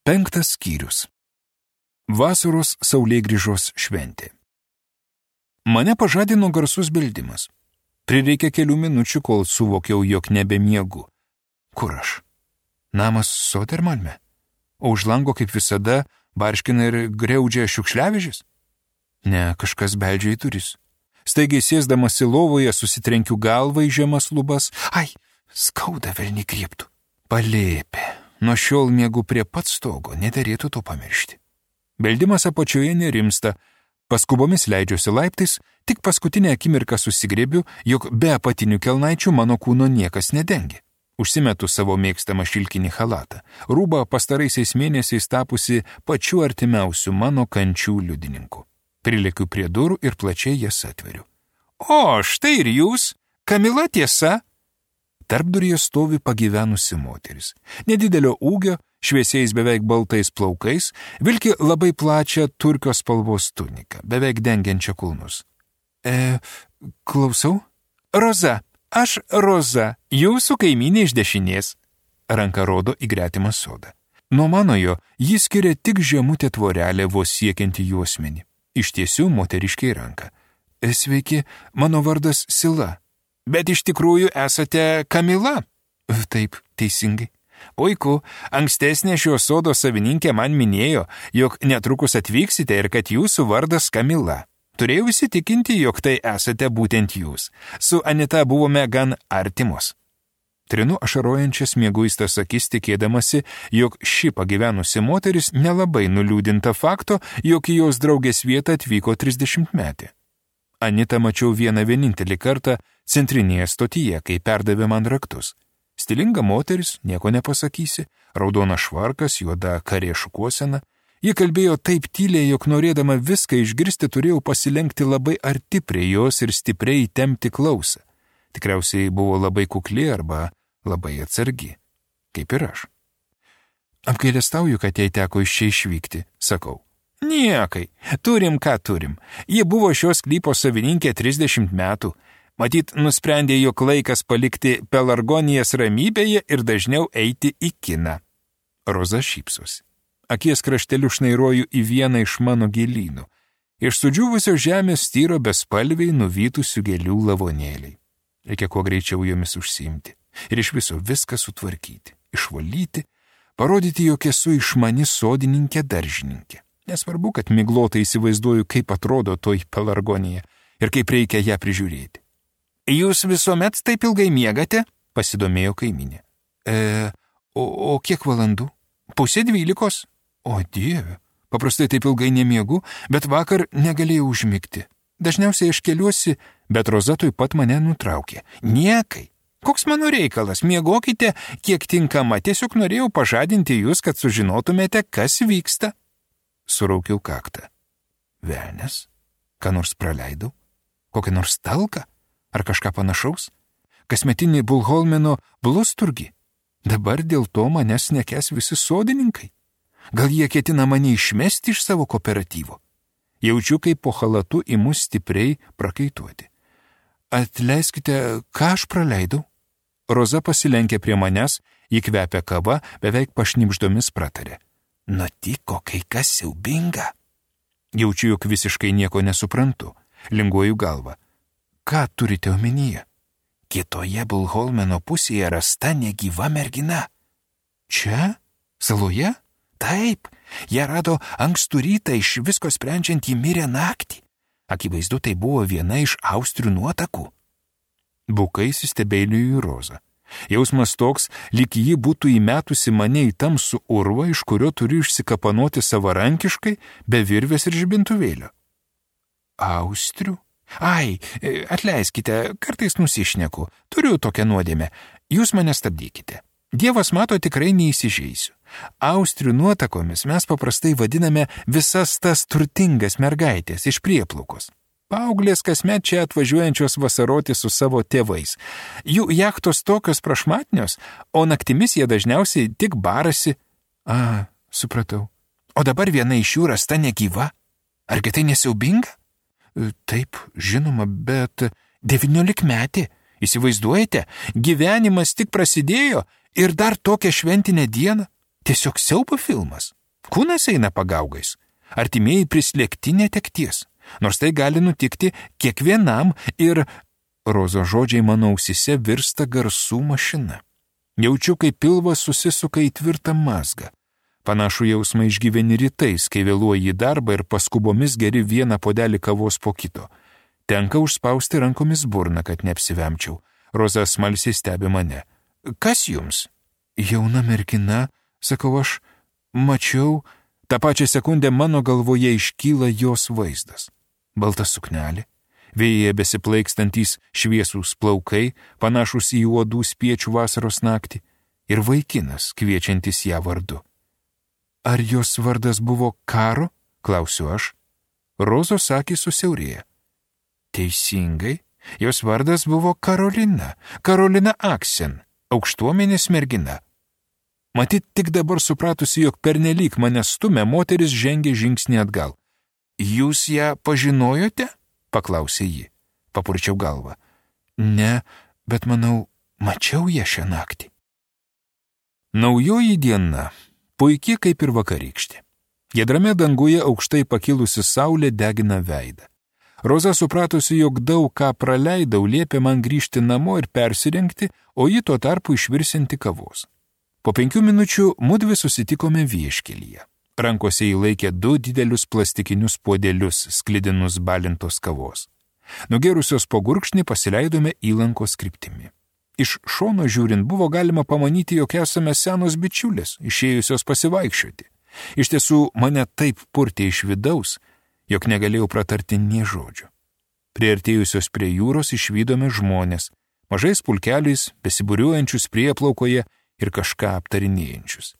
5 skyrius. Vasaros saulėgrįžos šventė. Mane pažadino garsus beldimas. Prireikė kelių minučių, kol suvokiau, jog nebemiegu. Kur aš? Namas Sodermalme? O už lango, kaip visada, barškina ir griaudžia šiukšliavežis? Ne, kažkas beldžia į duris. Staigiai sėsdamas į lovoje susitrenkiu galvą į žemas lubas. Ai, skauda velnį griebtų. Palėpė. Nuo šiol miegu prie pat stogo, nederėtų to pamiršti. Beldimas apačioje nerimsta. Paskubomis leidžiuosi laiptais, tik paskutinę akimirką susigriebiu, jog be apatinių kelnaičių mano kūno niekas nedengia. Užsimetu savo mėgstamą šilkinį chalatą, rūbą pastaraisiais mėnesiais tapusi pačiu artimiausiu mano kančių liudininku. Prilekiu prie durų ir plačiai jas atveriu. O, štai ir jūs, Kamila, tiesa? Tarpduryje stovi pagyvenusi moteris. Nedidelio ūgio, šviesiais beveik baltais plaukais, vilki labai plačią turkio spalvos tuniką, beveik dengiančią kulnus. Klausau? Roza, aš Roza, jūsų kaimynė iš dešinės. Ranka rodo į gretimą sodą. Nuo manojo jį skiria tik žemutė tvorelė vos siekianti juosmenį. Ištiesiu moteriškiai ranką. Sveiki, mano vardas Sila. Bet iš tikrųjų esate Kamila? Taip, teisingai. Puiku, ankstesnė šio sodo savininkė man minėjo, jog netrukus atvyksite ir kad jūsų vardas Kamila. Turėjau įsitikinti, jog tai esate būtent jūs. Su Anita buvome gan artimos. Trinu ašarojančias mieguistas akis tikėdamasi, jog ši pagyvenusi moteris nelabai nuliūdinta fakto, jog į jos draugės vietą atvyko 30-metė. Anitą mačiau vienintelį kartą centrinėje stotyje, kai perdavė man raktus. Stilinga moteris, nieko nepasakysi, raudona švarkas, juoda karė šukuosena. Ji kalbėjo taip tyliai, jog norėdama viską išgirsti turėjau pasilenkti labai arti prie jos ir stipriai įtempti klausą. Tikriausiai buvo labai kukli arba labai atsargi, kaip ir aš. Apgailestauju, kad jai teko iš čia išvykti, sakau. Niekai, turim ką turim. Ji buvo šios sklypo savininkė 30 metų. Matyt, nusprendė, jog laikas palikti pelargonijas ramybėje ir dažniau eiti į kiną. Roza šypsosi. Akies krašteliu šnairuoju į vieną iš mano gėlynų. Iš sudžiūvusio žemės styro bespalviai nuvytusių gėlių lavonėliai. Reikia kuo greičiau jomis užsiimti. Ir iš viso viską sutvarkyti, išvalyti, parodyti, jog esu išmani sodininkė daržininkė. Nesvarbu, kad miglotai įsivaizduoju, kaip atrodo toj pelargonija ir kaip reikia ją prižiūrėti. Jūs visuomet taip ilgai miegate? Pasidomėjo kaiminė. O kiek valandų? 11:30. O Dieve, paprastai taip ilgai nemiegu, bet vakar negalėjau užmigti. Dažniausiai aš keliuosi, bet Roza tuoj pat mane nutraukė. Niekai. Koks mano reikalas? Miegokite, kiek tinkama. Tiesiog norėjau pažadinti jūs, kad sužinotumėte, kas vyksta. Suraukiau kaktą. Velnias? Ką nors praleidau? Kokią nors talką? Ar kažką panašaus? Kasmetinį Bulholmeno blusturgį? Dabar dėl to manęs nekęs visi sodininkai. Gal jie ketina mane išmesti iš savo kooperatyvo? Jaučiu, kaip po chalatu imu stipriai prakaituoti. Atleiskite, ką aš praleidau? Roza pasilenkė prie manęs, įkvepia kava, beveik pašnibždomis pratarė. Nutiko kai kas siaubinga. Jaučiu, jog visiškai nieko nesuprantu. Linguoju galvą. Ką turite omenyje? Kitoje Bulholmeno pusėje rasta negyva mergina. Čia? Saloje? Taip, ją rado ankstų rytą, iš visko sprendžiant jį mirė naktį. Akivaizdu, tai buvo viena iš austrių nuotakų. Bukai įsistebeilijo į Rozą. Jausmas toks, lyg ji būtų įmetusi mane į tamsų urvą, iš kurio turiu išsikapanoti savarankiškai, be virvės ir žibintuvėlio. Austrių? Ai, atleiskite, kartais nusišneku, turiu tokią nuodėmę, jūs mane stabdykite. Dievas mato, tikrai neįsižeisiu. Austrių nuotakomis mes paprastai vadiname visas tas turtingas mergaitės iš prieplaukos. Paauglės kasmet čia atvažiuojančios vasaroti su savo tėvais. Jų jachtos tokios prašmatnios, o naktimis jie dažniausiai tik barasi. Supratau. O dabar viena iš jų rasta negyva. Argi tai nesiaubinga? Taip, žinoma, bet 19-metė. Įsivaizduojate, gyvenimas tik prasidėjo ir dar tokią šventinę dieną. Tiesiog siaubo filmas. Kūnas eina pagaugais. Artimieji prislėgti netekties. Nors tai gali nutikti kiekvienam ir... Rozos žodžiai mano ausise virsta garsų mašina. Jaučiu, kaip pilvas susisuka į tvirtą mazgą. Panašų jausmą išgyveni rytais, kai vėluoji į darbą ir paskubomis geri vieną puodelį kavos po kito. Tenka užspausti rankomis burną, kad neapsivemčiau. Roza smalsiai stebi mane. Kas jums? Jauna mergina, sakau aš, mačiau. Ta pačia sekundė mano galvoje iškyla jos vaizdas. Balta suknelė, vėjyje besiplaikstantys šviesūs plaukai, panašus į uodų spiečių vasaros naktį, ir vaikinas, kviečiantis ją vardu. Ar jos vardas buvo Karo? Klausiu aš. Rozos akys susiaurėja. Teisingai, jos vardas buvo Karolina, Karolina Aksen, aukštuomenės mergina. Matyt, tik dabar supratusi, jog pernelyg mane stumia, moteris žengė žingsnį atgal. Jūs ją pažinojote? Paklausė ji. Papurčiau galvą. Ne, bet manau, mačiau ją šią naktį. Naujoji diena, puikiai kaip ir vakarykštė. Giedrame danguje aukštai pakilusi saulė degina veidą. Roza supratusi, jog daug ką praleidau, liepė man grįžti namo ir persirengti, o ji tuo tarpu išvirsinti kavos. Po 5 minučių mudvi susitikome vieškelyje. Rankose įlaikė 2 didelius plastikinius puodelius, sklidinus balintos kavos. Nugėrusios po gurkšnį pasileidome įlankos kryptimi. Iš šono žiūrint buvo galima pamanyti, jog esame senos bičiulės, išėjusios pasivaikščioti. Iš tiesų, mane taip purtė iš vidaus, jog negalėjau pratarti nė žodžio. Priartėjusios prie jūros išvydome žmonės, mažais pulkeliais, besibūriuojančius prieplaukoje ir kažką aptarinėjančius.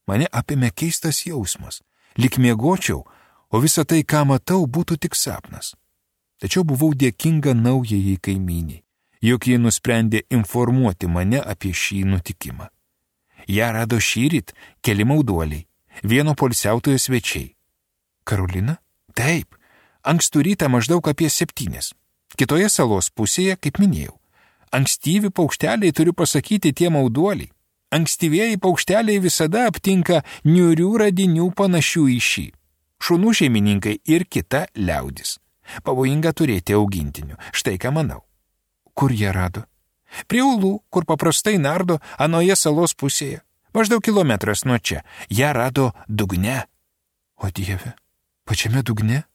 Mane apėmė keistas jausmas, lyg miegočiau, o visa tai, ką matau, būtų tik sapnas. Tačiau buvau dėkinga naujajai kaimyniai, jog jie nusprendė informuoti mane apie šį nutikimą. Ją rado šįryt keli mauduoliai, vieno poilsiautojo svečiai. Karolina? Taip, ankstų rytą maždaug apie 7. Kitoje salos pusėje, kaip minėjau. Ankstyvi paukšteliai, turiu pasakyti, tie mauduoliai. Ankstyvieji paukšteliai visada aptinka niūrių radinių panašių į šį. Šunų šeimininkai ir kita liaudis. Pavojinga turėti augintinių. Štai ką manau. Kur jie rado? Prie Ulų, kur paprastai nardo, anoje salos pusėje. Maždaug kilometras nuo čia. Ją rado dugne. O Dieve, pačiame dugne?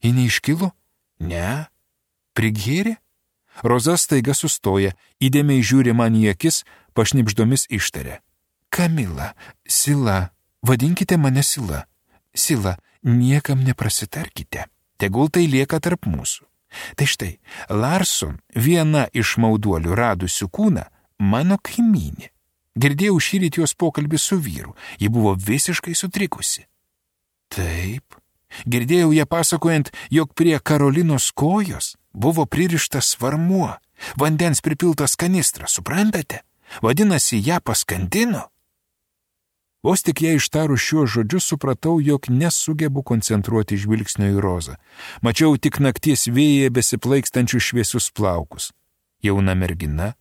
Ji neiškilo? Ne. Prigėrė? Roza staiga sustoja, įdėmiai žiūri man į akis, pašnibždomis ištarė. Kamila, Sila, vadinkite mane Sila. Sila, niekam neprasitarkite. Tegul tai lieka tarp mūsų. Tai štai, Larson, viena iš mauduolių radusių kūną, mano kaimynė. Girdėjau šįryt jos pokalbį su vyru, ji buvo visiškai sutrikusi. Taip, girdėjau ją pasakojant, jog prie Karolinos kojos buvo pririštas svarmuo, vandens pripiltas kanistras, suprantate? Vadinasi, ją paskandino. Vos tik ją ištarus šiuos žodžius supratau, jog nesugebu koncentruoti žvilgsnio į Rozą. Mačiau tik nakties vėjyje besiplaikstančių šviesius plaukus. Jauna mergina,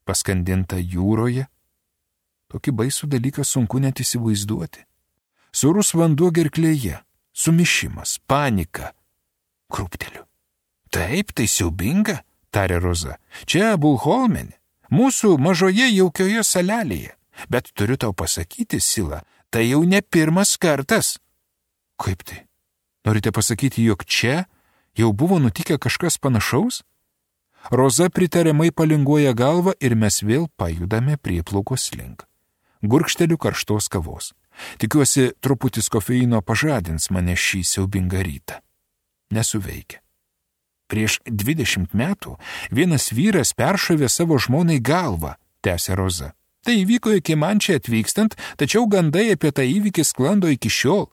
paskandinta jūroje. Tokį baisų dalyką sunku net įsivaizduoti. Sūrus vanduo gerklėje, sumišimas, panika. Krūpteliu. Taip, tai siaubinga, tarė Roza. Čia Bulholmenė, mūsų mažoje jaukioje salelėje. Bet turiu tau pasakyti, Sila, tai jau ne pirmas kartas. Kaip tai? Norite pasakyti, jog čia jau buvo nutikę kažkas panašaus? Roza pritariamai palinguoja galvą ir mes vėl pajudame prieplaukos link. Gurkšteliu karštos kavos. Tikiuosi, truputis kofeino pažadins mane šį siaubingą rytą. Nesuveikia. Prieš 20 metų vienas vyras peršovė savo žmonai galvą, tęsė Roza. Tai įvyko iki man čia atvykstant, tačiau gandai apie tą įvykį sklando iki šiol.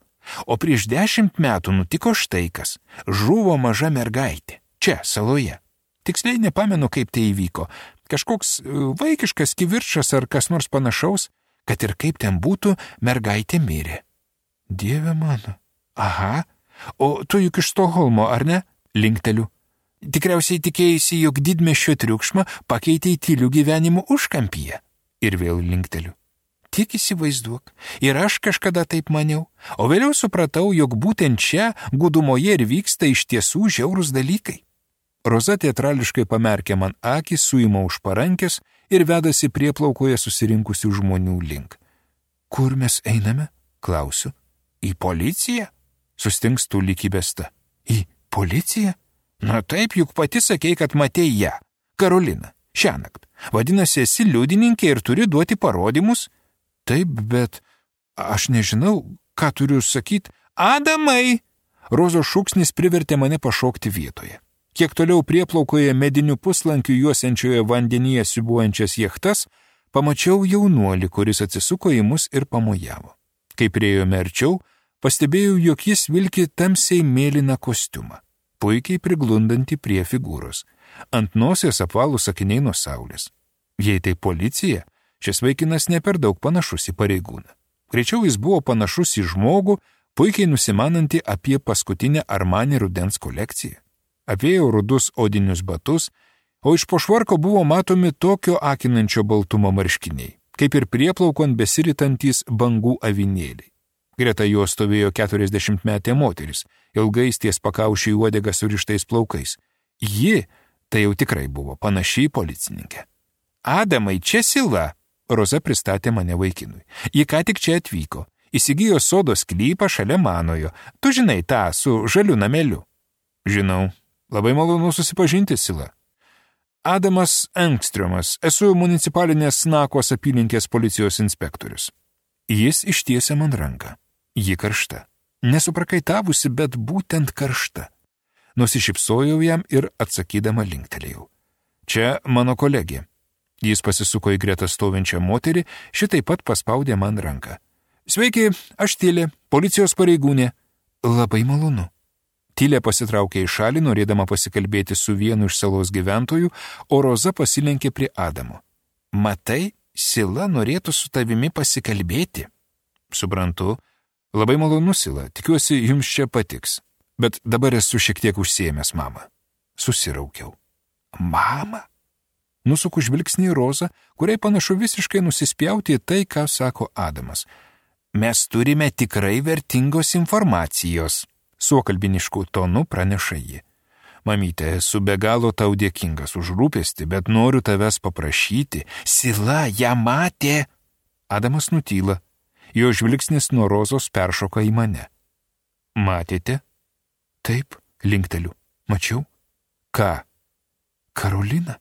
O prieš 10 metų nutiko štai kas. Žuvo maža mergaitė. Čia, saloje. Tiksliai nepamenu, kaip tai įvyko. Kažkoks vaikiškas kivirčas ar kas nors panašaus, kad ir kaip ten būtų, mergaitė mirė. Dieve mano. Aha. O tu juk iš Stokholmo, ar ne? Linkteliu. Tikriausiai tikėjusi, jog didmiesčio triukšmą pakeitė į tylių gyvenimų užkampyje. Ir vėl linkteliu. Tik įsivaizduok, ir aš kažkada taip maniau, o vėliau supratau, jog būtent čia, gudumoje ir vyksta iš tiesų žiaurūs dalykai. Roza teatrališkai pamerkė man akį, suima už parankės ir vedasi prieplaukoje susirinkusių žmonių link. Kur mes einame? Klausiu. Į policiją? Sustingstų lyg įbesta. Į policiją? Na taip, juk pati sakei, kad matei ją. Karolina, šiąnakt. Vadinasi, esi liudininkė ir turi duoti parodymus? Taip, bet aš nežinau, ką turiu sakyti. Adamai! Rozos šūksnis privertė mane pašokti vietoje. Kiek toliau prieplaukoje medinių puslankių juosiančioje vandenyje siūbuojančias jachtas, pamačiau jaunuolį, kuris atsisuko į mus ir pamojavo. Kai priėjome arčiau, pastebėjau, jog jis vilki tamsiai mėlyną kostiumą, puikiai priglundantį prie figūros. Ant nosies apvalūs akiniai nuo saulės. Jei tai policija, šis vaikinas ne per daug panašus į pareigūną. Greičiau jis buvo panašus į žmogų, puikiai nusimanantį apie paskutinę Armani rudens kolekciją. Apėjo rudus odinius batus, o iš po švarko buvo matomi tokio akinančio baltumo marškiniai, kaip ir prieplaukon besiritantis bangų avinėliai. Greta jo stovėjo 40-metė moteris, ilgais ties pakaušiai uodegą surištais plaukais. Ji, tai jau tikrai buvo panašiai policininkė. Adamai, čia Sila, Roza pristatė mane vaikinui. Ji ką tik čia atvyko, įsigijo sodo sklypą šalia manojo. Tu žinai tą su žaliu nameliu. Žinau, labai malonu susipažinti, Sila. Adamas Engströmas, esu municipalinės Snakos apylinkės policijos inspektorius. Jis ištiesė man ranką. Ji karšta. Nesuprakaitavusi, bet būtent karšta. Nusišypsojau jam ir atsakydama linktelėjau. Čia mano kolegė. Jis pasisuko į gretą stovinčią moterį, šitai pat paspaudė man ranką. Sveiki, aš Tilė, policijos pareigūnė. Labai malonu. Tilė pasitraukė į šalį, norėdama pasikalbėti su vienu iš salos gyventojų, o Roza pasilenkė prie Adamo. Matai, Sila norėtų su tavimi pasikalbėti. Suprantu. Labai malonu, Sila, tikiuosi, jums čia patiks. Bet dabar esu šiek tiek užsiėmęs, mama. Susiraukiau. Mama? Nusuku žvilgsnį į Rozą, kuriai panašu visiškai nusispjauti į tai, ką sako Adamas. Mes turime tikrai vertingos informacijos, suokalbinišku tonu praneša ji. Mamyte, esu be galo tau dėkingas už rūpestį, bet noriu tavęs paprašyti. Sila, ją matė. Adamas nutyla. Jo žvilgsnis nuo Rozos peršoka į mane. Matėte? Taip, linkteliu. Mačiau. Ką? Karolina.